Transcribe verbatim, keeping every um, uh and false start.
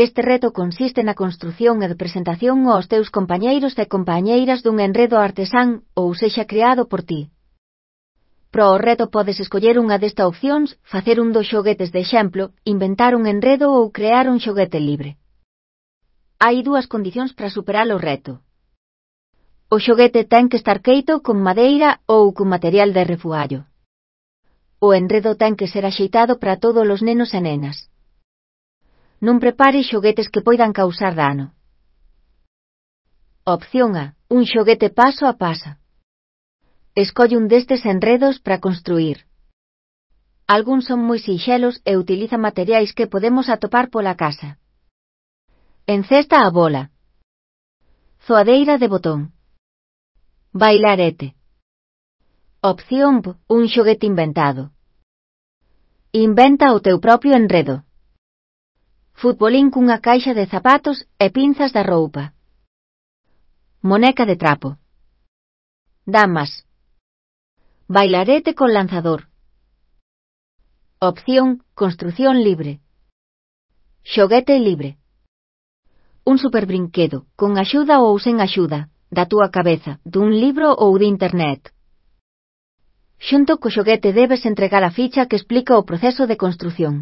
Este reto consiste na construción e de presentación aos teus compañeiros e compañeiras dun enredo artesán ou sexa creado por ti. Para o reto podes escoller unha desta opcións, facer un dos xoguetes de exemplo, inventar un enredo ou crear un xoguete libre. Hai dúas condicións para superar o reto. O xoguete ten que estar feito con madeira ou con material de refugallo. O enredo ten que ser axeitado para todos os nenos e nenas. Non prepare xoguetes que poidan causar dano. Opción A. Un xoguete paso a paso. Escolle un destes enredos para construir. Algúns son moi sinxelos e utilizan materiais que podemos atopar pola casa. Encesta a bola. Zoadeira de botón. Bailarete. Opción B. Un xoguete inventado. Inventa o teu propio enredo. Futbolín cunha caixa de zapatos e pinzas da roupa. Moneca de trapo. Damas. Bailarete con lanzador. Opción, construción libre. Xoguete libre. Un superbrinquedo, con axuda ou sen axuda, da túa cabeza, dun libro ou de internet. Xunto co xoguete debes entregar a ficha que explica o proceso de construción.